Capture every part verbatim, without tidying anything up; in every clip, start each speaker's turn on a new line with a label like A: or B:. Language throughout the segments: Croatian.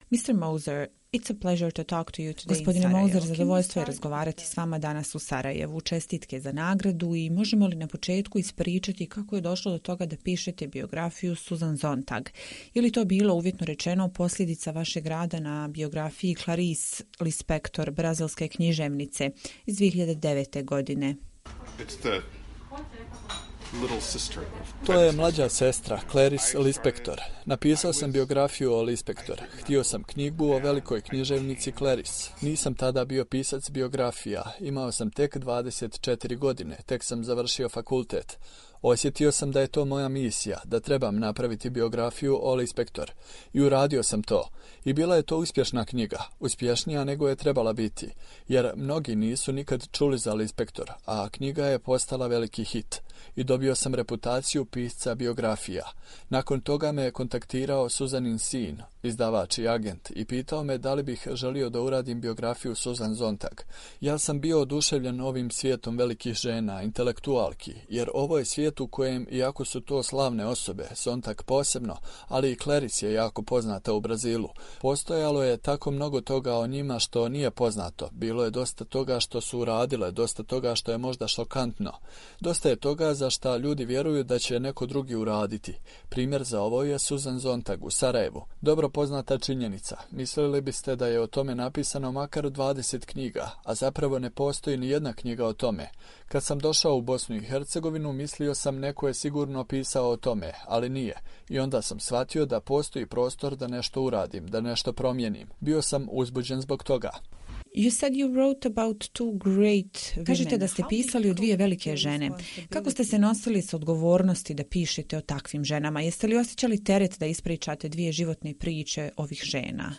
A: mister Moser, it's a pleasure to talk to you today. Gospodine Moser, zadovoljstvo je razgovarati s vama danas u Sarajevu. Čestitke za nagradu i možemo li na početku ispričati kako je došlo do toga da pišete biografiju Susan Sontag? Je li to bilo, uvjetno rečeno, posljedica vašeg rada na biografiji Clarice Lispector, brazilske književnice iz dvije hiljade devete. godine?
B: It's the little sister.
C: To je mlađa sestra, Clarice Lispector. Napisao sam biografiju o Lispector. Htio sam knjigu o velikoj književnici Clarice. Nisam tada bio pisac biografija. Imao sam tek dvadeset četiri godine. Tek sam završio fakultet. Osjetio sam da je to moja misija, da trebam napraviti biografiju o Lispector. I uradio sam to. I bila je to uspješna knjiga, uspješnija nego je trebala biti, jer mnogi nisu nikad čuli za Lispector, a knjiga je postala veliki hit. I dobio sam reputaciju pisca biografija. Nakon toga me je kontaktirao Suzanin sin, izdavač i agent, i pitao me da li bih želio da uradim biografiju Susan Sontag. Ja sam bio oduševljen ovim svijetom velikih žena, intelektualki, jer ovo je svijet u kojem, iako su to slavne osobe, Sontag posebno, ali i Clarice je jako poznata u Brazilu, postojalo je tako mnogo toga o njima što nije poznato. Bilo je dosta toga što su uradile, dosta toga što je možda šokantno. Dosta je toga za šta ljudi vjeruju da će neko drugi uraditi. Primjer za ovo je Susan Sontag u Sarajevu. Dobro poznata činjenica. Mislili biste da je o tome napisano makar dvadeset knjiga, a zapravo ne postoji ni jedna knjiga o tome. Kad sam došao u Bosnu i Hercegovinu, mislio sam neko je sigurno pisao o tome, ali nije. I onda sam shvatio da postoji prostor da nešto uradim, da nešto promijenim. Bio sam uzbuđen zbog toga.
A: You said you wrote about two great women. Kažete da ste pisali o dvije velike žene. Kako ste se nosili s odgovornosti da pišete o takvim ženama? Jeste li osjećali teret da ispričate dvije životne priče ovih žena?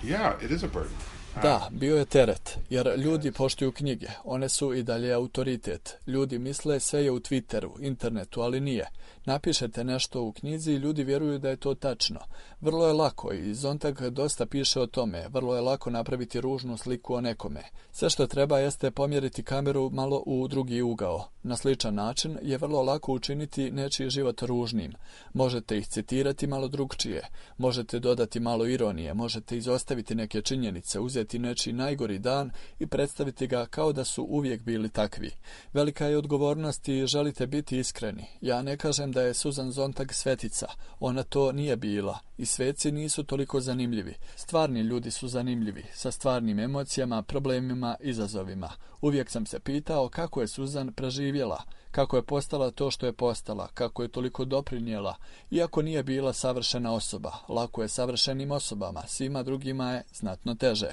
B: Yeah, it is a burden.
C: Da, bio je teret, jer ljudi poštuju knjige. One su i dalje autoritet. Ljudi misle sve je u Twitteru, internetu, ali nije. Napišete nešto u knjizi i ljudi vjeruju da je to tačno. Vrlo je lako i Sontag dosta piše o tome. Vrlo je lako napraviti ružnu sliku o nekome. Sve što treba jeste pomjeriti kameru malo u drugi ugao. Na sličan način je vrlo lako učiniti nečiji život ružnim. Možete ih citirati malo drugčije. Možete dodati malo ironije. Možete izostaviti neke činjenice, uzeti nečiji najgori dan i predstaviti ga kao da su uvijek bili takvi. Velika je odgovornost i želite biti iskreni. Ja ne kažem da je Susan Sontag svetica. Ona to nije bila. I sveci nisu toliko zanimljivi. Stvarni ljudi su zanimljivi, sa stvarnim emocijama, problemima, izazovima. Uvijek sam se pitao kako je Susan preživjela, kako je postala to što je postala, kako je toliko doprinijela, iako nije bila savršena osoba. Lako je savršenim osobama, svima drugima je znatno teže.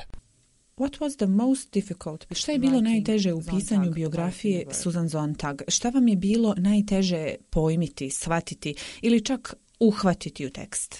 A: What was the most difficult? Šta je bilo najteže u pisanju biografije Susan Sontag? Šta vam je bilo najteže pojmiti, shvatiti ili čak uhvatiti u tekst?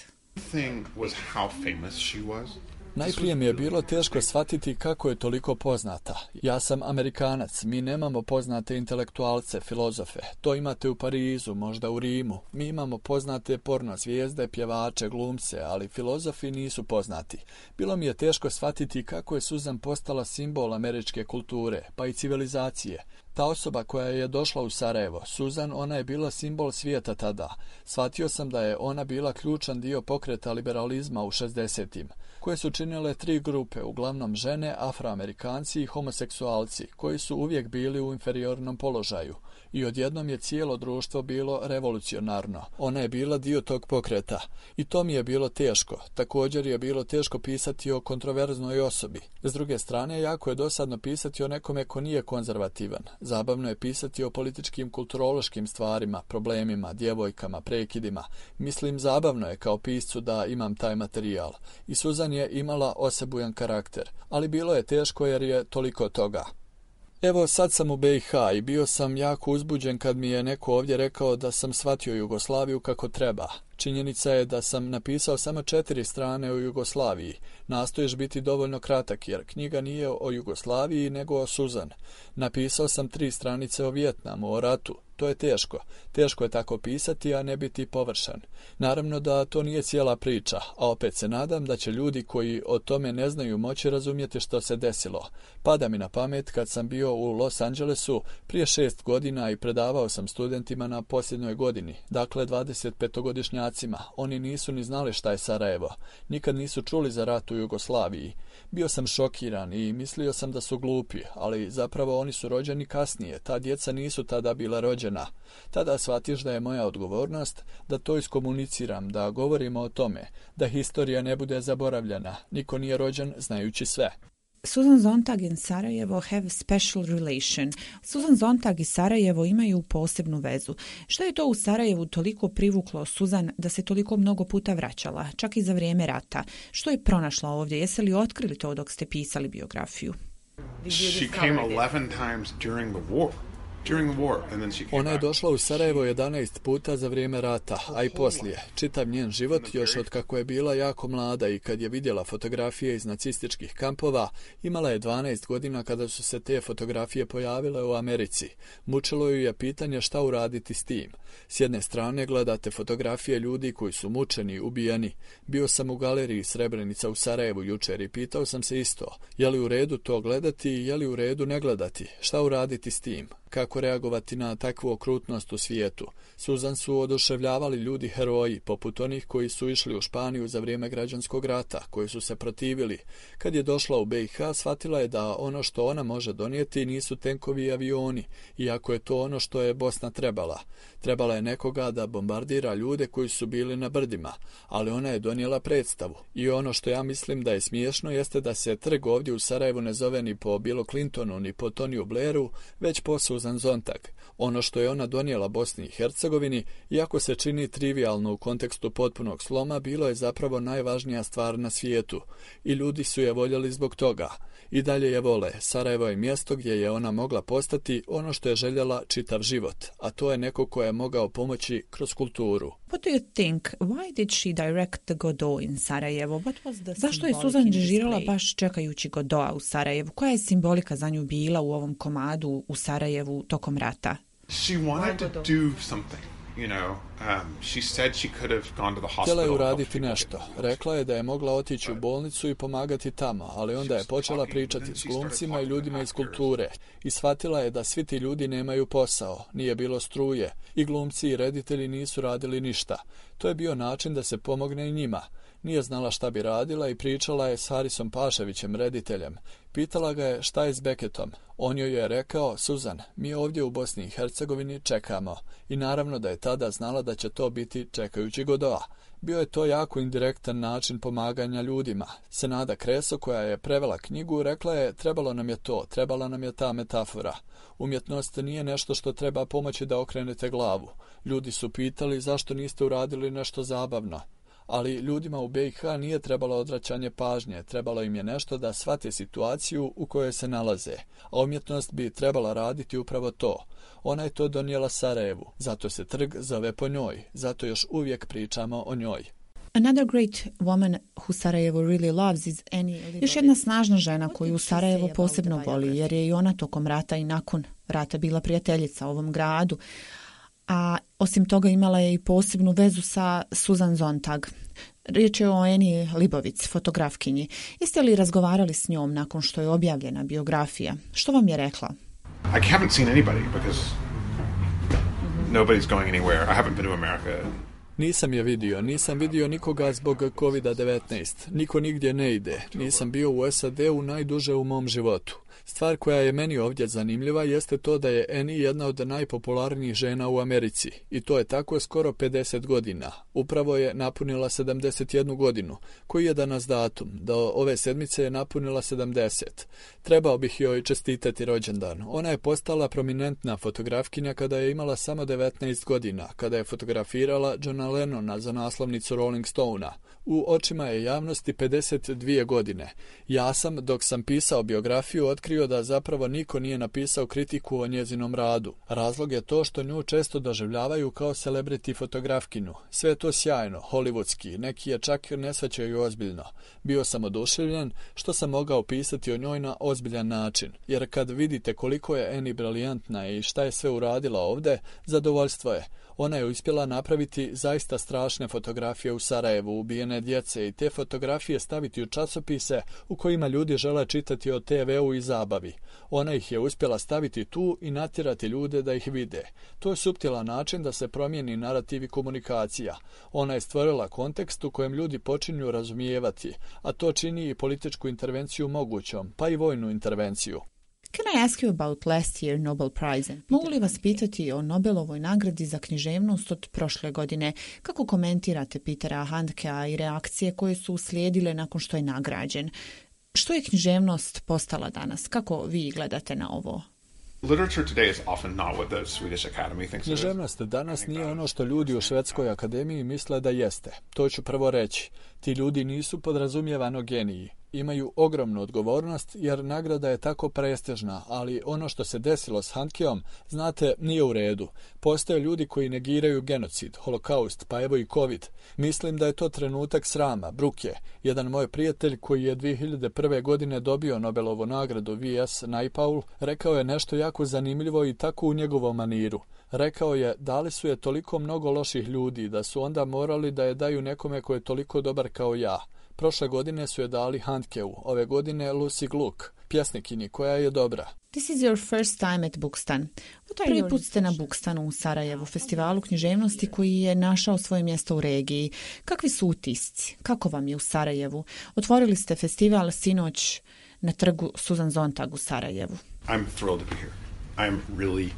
B: Thing was how famous she was.
C: Najprije mi je bilo teško shvatiti kako je toliko poznata. Ja sam Amerikanac, mi nemamo poznate intelektualce, filozofe. To imate u Parizu, možda u Rimu. Mi imamo poznate porno zvijezde, pjevače, glumce, ali filozofi nisu poznati. Bilo mi je teško shvatiti kako je Susan postala simbol američke kulture, pa i civilizacije. Ta osoba koja je došla u Sarajevo, Susan, ona je bila simbol svijeta tada. Shvatio sam da je ona bila ključan dio pokreta liberalizma u šezdesetim, koje su činile tri grupe, uglavnom žene, afroamerikanci i homoseksualci, koji su uvijek bili u inferiornom položaju. I odjednom je cijelo društvo bilo revolucionarno. Ona je bila dio tog pokreta. I to mi je bilo teško. Također je bilo teško pisati o kontroverznoj osobi. S druge strane, jako je dosadno pisati o nekome ko nije konzervativan. Zabavno je pisati o političkim, kulturološkim stvarima, problemima, djevojkama, prekidima. Mislim, zabavno je kao piscu da imam taj materijal. I Susan je imala osebujan karakter. Ali bilo je teško jer je toliko toga. Evo, sad sam u be i ha i bio sam jako uzbuđen kad mi je neko ovdje rekao da sam shvatio Jugoslaviju kako treba. Činjenica je da sam napisao samo četiri strane o Jugoslaviji. Nastoješ biti dovoljno kratak jer knjiga nije o Jugoslaviji nego o Susan. Napisao sam tri stranice o Vijetnamu, o ratu. To je teško. Teško je tako pisati, a ne biti površan. Naravno da to nije cijela priča, a opet se nadam da će ljudi koji o tome ne znaju moći razumjeti što se desilo. Pada mi na pamet kad sam bio u Los Angelesu prije šest godina i predavao sam studentima na posljednjoj godini, dakle dvadesetpetogodišnjacima. Bošnjacima. Oni nisu ni znali šta je Sarajevo. Nikad nisu čuli za rat u Jugoslaviji. Bio sam šokiran i mislio sam da su glupi, ali zapravo oni su rođeni kasnije. Ta djeca nisu tada bila rođena. Tada shvatiš da je moja odgovornost da to iskomuniciram, da govorimo o tome, da historija ne bude zaboravljena. Niko nije rođen znajući sve.
A: Susan Sontag and Sarajevo have special relation. Susan Sontag i Sarajevo imaju posebnu vezu. Što je to u Sarajevu toliko privuklo Susan da se toliko mnogo puta vraćala, čak i za vrijeme rata? Što je pronašla ovdje? Jeste li otkrili to dok ste pisali biografiju?
B: She came eleven times during the war.
C: Ona je došla u Sarajevo jedanaest puta za vrijeme rata, a i poslije. Čitav njen život, još od kako je bila jako mlada i kad je vidjela fotografije iz nacističkih kampova, imala je dvanaest godina kada su se te fotografije pojavile u Americi. Mučilo ju je pitanje šta uraditi s tim. S jedne strane gledate fotografije ljudi koji su mučeni, ubijeni. Bio sam u galeriji Srebrenica u Sarajevu jučer i pitao sam se isto. Je li u redu to gledati i je li u redu ne gledati? Šta uraditi s tim? Kako reagovati na takvu okrutnost u svijetu? Susan su oduševljavali ljudi heroji, poput onih koji su išli u Španiju za vrijeme građanskog rata, koji su se protivili. Kad je došla u B i H, shvatila je da ono što ona može donijeti nisu tenkovi i avioni, iako je to ono što je Bosna trebala. Trebala je nekoga da bombardira ljude koji su bili na brdima, ali ona je donijela predstavu. I ono što ja mislim da je smiješno jeste da se trg ovdje u Sarajevu ne zove ni po Billu Clintonu, ni po Toniju Blairu, već po Susan Sontag. Ono što je ona donijela Bosni i Hercegovini, iako se čini trivialno u kontekstu potpunog sloma, bilo je zapravo najvažnija stvar na svijetu i ljudi su je voljeli zbog toga. I dalje je vole. Sarajevo je mjesto gdje je ona mogla postati ono što je željela čitav život, a to je neko ko je mogao pomoći kroz kulturu.
A: What do you think? Why did she direct the Godot in Sarajevo? What was the Zašto je Susan režirala baš čekajući Godoa u Sarajevu? Koja je simbolika za nju bila u ovom komadu u Sarajevu tokom rata?
B: She wanted to do something. You know, um, she said she could have gone to the hospital.
C: Htjela je uraditi nešto. Rekla je da je mogla otići u bolnicu i pomagati tamo, ali onda je počela pričati s glumcima i ljudima iz kulture i shvatila je da svi ti ljudi nemaju posao, nije bilo struje i glumci i reditelji nisu radili ništa. To je bio način da se pomogne i njima. Nije znala šta bi radila i pričala je s Harisom Paševićem, rediteljem. Pitala ga je šta je s Beketom. On joj je rekao, Susan, mi ovdje u Bosni i Hercegovini čekamo. I naravno da je tada znala da će to biti čekajući Godoa. Bio je to jako indirektan način pomaganja ljudima. Senada Kreso, koja je prevela knjigu, rekla je trebalo nam je to, trebala nam je ta metafora. Umjetnost nije nešto što treba pomoći da okrenete glavu. Ljudi su pitali zašto niste uradili nešto zabavno. Ali ljudima u B i H nije trebalo odvraćanje pažnje, trebalo im je nešto da shvate situaciju u kojoj se nalaze, a umjetnost bi trebala raditi upravo to. Ona je to donijela Sarajevu, zato se trg zove po njoj, zato još uvijek pričamo o njoj.
A: Another great woman who Sarajevo really loves is Annie Libovic. Još jedna snažna žena koju Sarajevo posebno voli, jer je i ona tokom rata i nakon rata bila prijateljica ovom gradu. A osim toga imala je i posebnu vezu sa Susan Sontag. Riječ je o Annie Libovic, fotografkinji. Jeste li razgovarali s njom nakon što je objavljena biografija? Što vam je rekla?
B: I haven't seen anybody because nobody's going anywhere. I haven't been to America.
C: Nisam je vidio, nisam vidio nikoga zbog kovid devetnaest. Niko nigdje ne ide. Nisam bio u S A D-u najduže u mom životu. Stvar koja je meni ovdje zanimljiva jeste to da je Annie jedna od najpopularnijih žena u Americi. I to je tako skoro pedeset godina. Upravo je napunila sedamdeset jednu godinu. Koji je danas datum? Do ove sedmice je napunila sedamdeset. Trebao bih joj čestitati rođendan. Ona je postala prominentna fotografkinja kada je imala samo devetnaest godina, kada je fotografirala Johna Lennona za naslovnicu Rolling Stone-a. U očima je javnosti pedeset dvije godine. Ja sam, dok sam pisao biografiju, otkrio da zapravo niko nije napisao kritiku o njezinom radu. Razlog je to što nju često doživljavaju kao celebrity fotografkinu. Sve je to sjajno, hollywoodski, neki je čak ne shvaćaju ozbiljno. Bio sam oduševljen što sam mogao pisati o njoj na ozbiljan način, jer kad vidite koliko je Annie briljantna i šta je sve uradila ovdje, zadovoljstvo je. Ona je uspjela napraviti zaista strašne fotografije u Sarajevu, ubijene djece i te fotografije staviti u časopise u kojima ljudi žele čitati o T V-u i zabavi. zabavi. Ona ih je uspjela staviti tu i natjerati ljude da ih vide. To je suptilan način da se promijeni narativ i komunikacija. Ona je stvorila kontekst u kojem ljudi počinju razumijevati, a to čini i političku intervenciju mogućom, pa i vojnu intervenciju.
A: Can I ask you about last year Nobel Prize? Mogu li vas pitati o Nobelovoj nagradi za književnost od prošle godine? Kako komentirate Petera Handkea i reakcije koje su uslijedile nakon što je nagrađen? Što je književnost postala danas? Kako vi gledate na ovo?
C: Književnost danas nije ono što ljudi u Švedskoj akademiji misle da jeste. To ću prvo reći. Ti ljudi nisu podrazumijevano geniji. Imaju ogromnu odgovornost jer nagrada je tako prestižna, ali ono što se desilo s Handkeom, znate, nije u redu. Postoje ljudi koji negiraju genocid, holokaust, pa evo i covid. Mislim da je to trenutak srama, bruke. Jedan moj prijatelj koji je dvije hiljade prve. godine dobio Nobelovu nagradu V S Naipaul, rekao je nešto jako zanimljivo i tako u njegovom maniru. Rekao je, dali su je toliko mnogo loših ljudi da su onda morali da je daju nekome ko je toliko dobar kao ja. Prošle godine su je dali Handkeu, ove godine Lucy Gluck, pjesnikinji koja je dobra.
A: This is your first time at Bukstan. Prvi put ste na Bukstanu u Sarajevu, festivalu književnosti koji je našao svoje mjesto u regiji. Kakvi su utisci? Kako vam je u Sarajevu? Otvorili ste festival sinoć na trgu Susan Sontag u Sarajevu.
B: I'm thrilled to be here. I'm really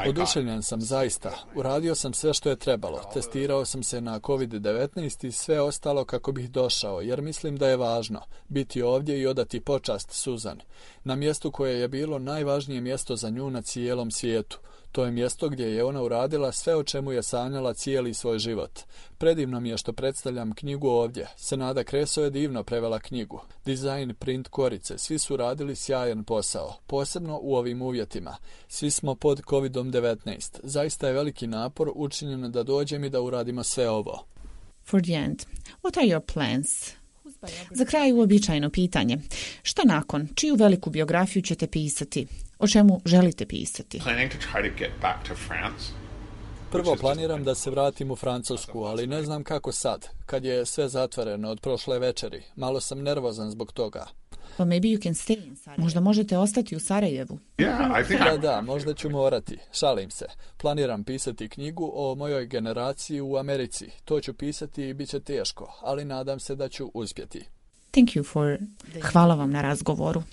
C: Oduševljen sam zaista. Uradio sam sve što je trebalo. Testirao sam se na kovid devetnaest i sve ostalo kako bih došao, jer mislim da je važno biti ovdje i odati počast Susan. Na mjestu koje je bilo najvažnije mjesto za nju na cijelom svijetu. To je mjesto gdje je ona uradila sve o čemu je sanjala cijeli svoj život. Predivno mi je što predstavljam knjigu ovdje. Senada Kreso je divno prevela knjigu. Dizajn, print, korice, svi su radili sjajan posao, posebno u ovim uvjetima. Svi smo pod kovid devetnaest. Zaista je veliki napor učinjen da dođem i da uradimo sve ovo.
A: For the end, what are your plans? Za kraj uobičajeno pitanje. Šta nakon? Čiju veliku biografiju ćete pisati? O čemu želite pisati?
C: Prvo planiram da se vratim u Francusku, ali ne znam kako sad, kad je sve zatvoreno od prošle večeri. Malo sam nervozan zbog toga.
A: Well, maybe you can stay in Sarajevo. Možda možete ostati u Sarajevu.
B: Yeah, I think
C: da, da, možda ću morati. Šalim se. Planiram pisati knjigu o mojoj generaciji u Americi. To ću pisati i bit će teško, ali nadam se da ću uspjeti.
A: Thank you for... Hvala vam na razgovoru.